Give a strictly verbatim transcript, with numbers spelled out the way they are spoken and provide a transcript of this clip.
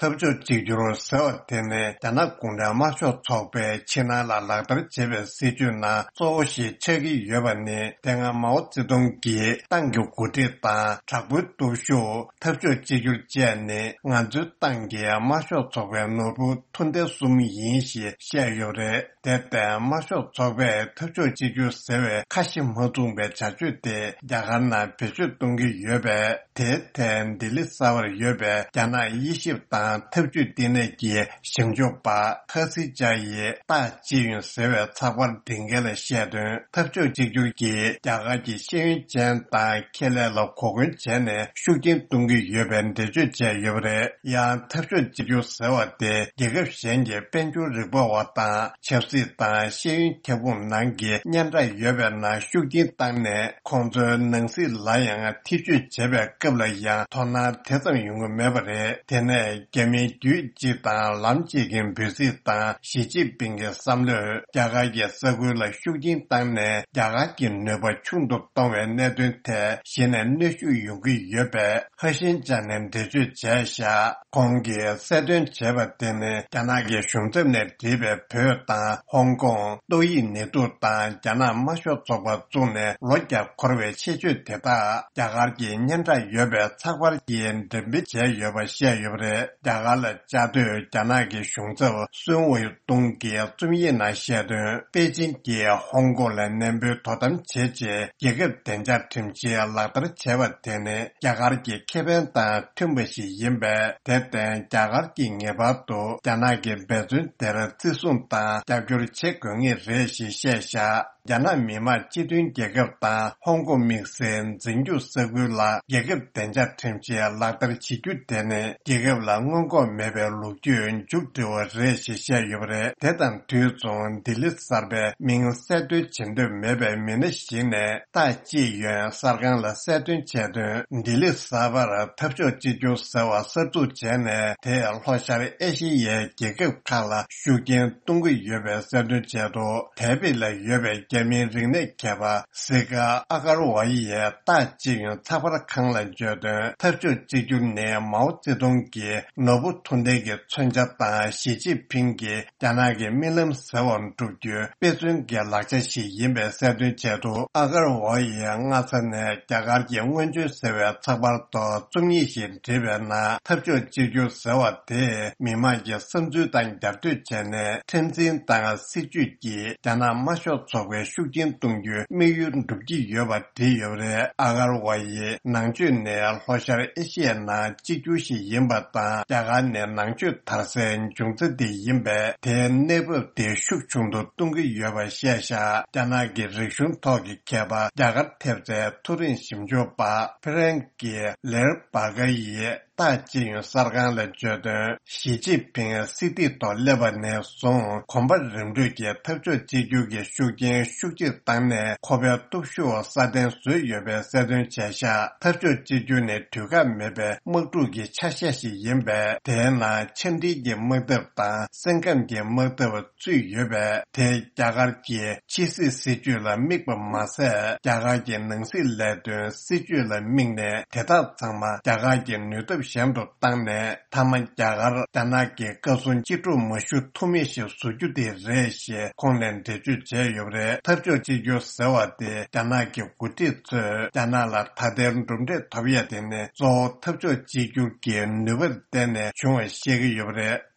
འཐབ་ཕྱོགས་གཅིག་གྱུར་ཟེར་བ་དེ་ནི་རྒྱ་ནག་གུང་ཁྲན་དམར་ཤོག་ཚོགས་པས་ཕྱི་ནང་ལ་ལག་བསྟར་བྱེད་པའི་སྲིད་ཇུས་ནང་གཙོ་བོ་ཞིག་ཆགས་ཀྱི་ཡོད་པ་ནི། དེ་སྔ་མའོ་ཙེ་ཏུང་གིས་ཏང་གི་འགོ་ཁྲིད་དང་དྲག་པོའི་སྟོབས་ཤུགས། འཐབ་ཕྱོགས་གཅིག་གྱུར་བཅས་ནི་ང་ཚོའི་ཏང་གི་དམར་ཤོག་ཚོགས་པའི་ནོར་བུ་མཐུན་ལྡན་གསུམ་ཡིན་ཞེས་བཤད་ཡོད་རེད། དེར་བརྟེན་དམར་ཤོག་ཚོགས་པས་འཐབ་ཕྱོགས་གཅིག་གྱུར་ཟེར་བའི་ཁ་ཞེ་མ་བཟུང་པའི་བྱ་སྤྱོད་དེ་རྒྱ་གར་ནང་བེད་སྤྱོད་གཏོང་གི་ཡོད་པས། དེའི་ཐད་ལྡི་ལི་གསར་པར་ཡོད་པའི་རྒྱ་ནག་དབྱེ་ཞིབ་དང་འཐབ་ཇུས་བསྟི་གནས་ཀྱི་ཞིབ་འཇུག་པ་ཧ་སི་ཅཱ་ཡིས་ཏཱ་ཅི་ཡོན་ཟེར་བའི་ཚགས་པར་འབྲི་མཁན་ལ་བཤད་དོན། འཐབ་ཕྱོགས་གཅིག་གྱུར་གྱིས་རྒྱ་གར་གྱི་ཤེས་ཡོན་ཅན་དང་ཁེ་ལས་ལ་གོ་སྐོན་བྱས་ནས་ཤུགས་རྐྱེན་གཏོང་གི་ཡོད་པའི་འགྲེལ་བརྗོད་བྱས་ཡོད་པ་རེད། ཡང་འཐབ་ཕྱོགས་གཅིག་གྱུར་ཟེར་བ་དེ་རྒྱལ་ཁབ་གཞན་གྱི་དཔལ་འབྱོར་རིག་པ་བ་དང་ཆབ་སྲིད་དང་ཤེས་ཡོན་ཁྱབ་ཁོངས་ནང་གི་སྙན་གྲགས་ཡོད་པའི་ནང་ཤུགས་རྐྱེན་བཏང་ནས། ཁོང་ཚོའི་ནང་སྲིད་ལ་ཡང་ཐེ་བྱུས་བྱེད་པའི་སྐབས་ལ་ཡང་དོ་སྣང་དེ་ཙམ་ཡོང་གི་མེད་པ་རེད། དེ་ནས་རྒྱ་མིའི་རྒྱུད་གཅིག་དང་ལམ་གཅིག་གི་འབོད་ཚིག་དང་ཞི་ཅིན་ཕིང་གི་བསམ་བློས་རྒྱ་གར་གྱི་ས་ཁུལ་ལ་ཤུགས་རྐྱེན་བཏང་ནས་རྒྱ་གར་གྱི་ནུས་པ་ཆུང་དུ་གཏོང་བའི་གནད་དོན་ཐད་གཞི་ནས་གནོན་ཤུགས་ཡོང་གི་ཡོད་པའི་ཧ་ཤིན་ཅཱ་ནས་འགྲེལ་བརྗོད་བྱས་བཞག་ཁོང་གིས་གསལ་སྟོན་བྱས་པ་དེ་ནི་རྒྱ་ནག་གི་གཞུང་ཚབ་ནས་བསྒྲིགས་པའི་བོད་དང་ཧོང་ཀོང་། ཏོག་དབྱིབས་ནད་དུག་དང་རྒྱ་ནག་དམར་ཤོག་ཚོགས་པ་བཙུགས་ནས་ལོ་བརྒྱ་འཁོར་བའི་ཆེད་བརྗོད་དེ་དག་རྒྱ་གར་གྱི་སྙན་གྲགས་ཡོད་པའི་ཚགས་པར་གྱིས་འགྲེམས་སྤེལ་བྱས་ཡོད་པ་བཤད་ཡོད་པ་རེད། རྒྱ་གར་ལ་བཅའ་སྡོད་རྒྱ་ནག་གི་གཞུང་ཚབ་སུན་ཝེ་ཏུང་གིས་རྩོམ་ཡིག་ནང་བཤད་དོན། པེ་ཅིན་གྱིས་ཧོང་ཀོང་ལ་ནན་པོའི་དོ་དམ་བྱེད་ཆེད་རྒྱལ་ཁབ་བདེ་འཇགས་ཁྲིམས་གཞི་ལག་བསྟར་བྱས་པ་དེ་ནི་རྒྱ་གར་གྱི་ཁེ་ཕན་དང་མཐུན་པ་ཞིག་ཡིན་པས། དེར་བརྟེན་རྒྱ་གར་གྱིས་ངེས་པར་དུ་རྒྱ་ནག་གི་འབད་བརྩོན་དེར་བརྩི་སྲུང་དང་རྒྱབ་སྐྱོར་བྱེད་དགོས་ངེས་རེད་ཞེས་བཤད་བཞག་རྒྱ་ནག་མི་དམངས་སྤྱི་མཐུན་རྒྱལ་ཁབ་དང་ཧོང་ཀོང་དམིགས་བསལ་འཛིན་སྐྱོང་ས་ཁུལ་ལ་རྒྱལ་ཁབ་བདེ་འཇགས་ཁྲིམས་གཞི་ལག་བསྟར་བྱེད་རྒྱུ་དེ་ནི་རྒྱལ་ཁབ་ལ་སྔོན་འགོག་མེད་པའི་ལོ་རྒྱུས་མཇུག་སྒྲིལ་བ་རེད་ཞེས་བཤད་ཡོད་པ་རེད། དེ་དང་དུས་མཚུངས་ལྡི་ལི་གསར་པའི་མིང་གསལ་འདོན་བྱེད་འདོད་མེད་པའི་མི་སྣ་ཞིག་ནས་ཏཱ་ཅི་ཡོན་གསར་ཁང་ལ་གསལ་སྟོན་བྱས་དོན། ལྡི་ལི་གསར་པར་འཐབ་ཕྱོགས་གཅིག་གྱུར་ཟེར་བ་གསར་འཛུགས་བྱས་ནས་དེས་ལྷོ་ཤར་ཨེ་ཤེ་ཡའི་རྒྱལ་ཁབ་ཁག་ལ་ཤུགས་རྐྱེན་གཏོང་གི་ཡོད་པའི་གསལ་སྟོན་བྱས་འདུག་ཐའེ་པེ་ལ་ཡོད་པའི་རྒྱ་མིའི་རིག་གནས་མཁས་པ་སི་ཀ་ཨ་གར་ཝ་ཡིས་ཏཱ་ཅི་ཡོན་ཚགས་པར་ཁང་ལ་བརྗོད་དོན། འཐབ་ཕྱོགས་གཅིག་གྱུར་ནི་མའོ་ཙེ་ཏུང་གི་ནོར་བུ་མཐུན་ལྡན་གྱི་མཚོན་ཆ་དང་ཞི་ཅིན་ཕིང་གི་རྒྱ་ནག་གི་རྨི་ལམ་ཟེར་བ་འགྲུབ་རྒྱུའི་དཔེ་མཚོན་གྱི་ལག་ཆ་ཞིག་ཡིན་པའི་གསལ་སྟོན་བྱས་འདུག་ཨ་གར་ཝ་ཡིས་སྔ་ས་ནས་རྒྱ་གར་གྱི་སྔོན་བྱོན་ཟེར་བའི་ཚགས་པར་ཐོག་རྩོམ་ཡིག་ཞིག་བྲིས་པའི་ནང་། འཐབ་ཕྱོགས་གཅིག་གྱུར་ཟེར་བ་དེས་མི་དམངས་ཀྱི་བསམ་ཚུལ་དང་རྒྱབ་གཏོད་བྱས་ནས་ཁྲིམས་འཛིན་དང་སྲིད་ཇུས་ཀྱིས་རྒྱ་ནག་དམར་ཤོག་ཚོགས་པའི་ཤུགས་རྐྱེན་གཏོང་རྒྱུའི་དམིགས་ཡུལ་འགྲུབ་ཀྱི་ཡོད་པ་བྲིས་ཡོད་པ་རེད། ཨ་གར་ཝ་ཡིས་ནང་ཆོས་ནི་ལྷོ་ཤར་ཨེ་ཤི་ཡའི་ནང་གཅིག་གྱུར་ཞིག་ཡིན་པ་དང་། རྒྱ་གར་ནི་ནང་ཆོས་དར་སའི་འབྱུང་རྩ་དེ་ཡིན་པས། དེའི་གནས་བབ་དེ་ཤུགས་ཆུང་དུ་གཏོང་གི་ཡོད་པ་བཤད་བཞག་རྒྱ་ནག་གི་རིག་གཞུང་ཐོག་གི་མཁས་པ་རྒྱ་གར་ཐེབས་རྩའི་མཐོ་རིམ་ཞིབ་འཇུག་པ་ཕི་རན་ཀི་ལེར་བྷ་ག་ཡིས་ཏཱ་ཅི་ཡོན་གསར་ཁང་ལ་བརྗོད་དོན། ཞི་ཅིན་ཕིང་སྲིད་སྟེགས་ཐོག་སླེབས་པ་ནས་བཟུང་གོམ་པ་རིམ་བགྲོད་ཀྱི་འཐབ་ཕྱོགས་གཅིག་གྱུར་གྱི་ཤུགས་རྐྱེན་ཤུགས་ཆེ་བཏང་ནས་ཁོ་པའི་སྟོབས་ཤུགས་སྲ་བརྟན་བཟོས་ཡོད་པའི་གསལ་སྟོན་བྱས་བཞག་འཐབ་ཕྱོགས་གཅིག་གྱུར་ནི་དུས་བཀག་མེད་པའི་དམག་འཁྲུག་གི་ཆ་ཤས་ཤིག་ཡིན་པས། དེའི་ནང་ཆ་འགྲིག་གི་དམག་འཐབ་དང་སེམས་ཁམས་ཀྱི་དམག་འཐབ་ཚུད་ཡོད་པས། དེས་རྒྱ་གར་གྱི་ཕྱི་སྲིད་སྲིད་ཇུས་ལ་དམིགས་པ་མ་ཟད། རྒྱ་གར་གྱི་ནང་སྲིད་ལས་དོན་སྲིད་ཇུས་ལ་དམིགས་ནས། དེ་དག་ཚང་མ་རྒྱ་གར་གྱི་ནུས་སྟོབས་གཞན་དུ་བཏང་ནས། མཐའ་མ་རྒྱ་གར་རྒྱ་ནག་གི་བཀའ་སྲུང་གཅིག་གྲོགས་མ་ཞུ་ཐུབ་མི་ཞིག་བཟོ་རྒྱུ་དེ་རེད་ཞེས་ཁོང་ནས་འགྲེལ་བརྗོད་བྱས་ཡོད་པ་རེད། འཐབ་ཕྱོགས་གཅིག་གྱུར་ཟེར་བ་དེ་རྒྱ་ནག་གི་འགོ་ཁྲིད་ཚོས་རྒྱ་ནག་ལ་ད་ལྟའི་གྲུབ་འབྲས་ཐོབ་ཡ་དེ་ནི་གཙོ་བོ་འཐབ་ཕྱོགས་གཅིག་གྱུར་གྱི་ནུས་པར་བརྟེན་ནས་བྱུང་བ་བཤད་ཀྱི་ཡོད་པ་རེད།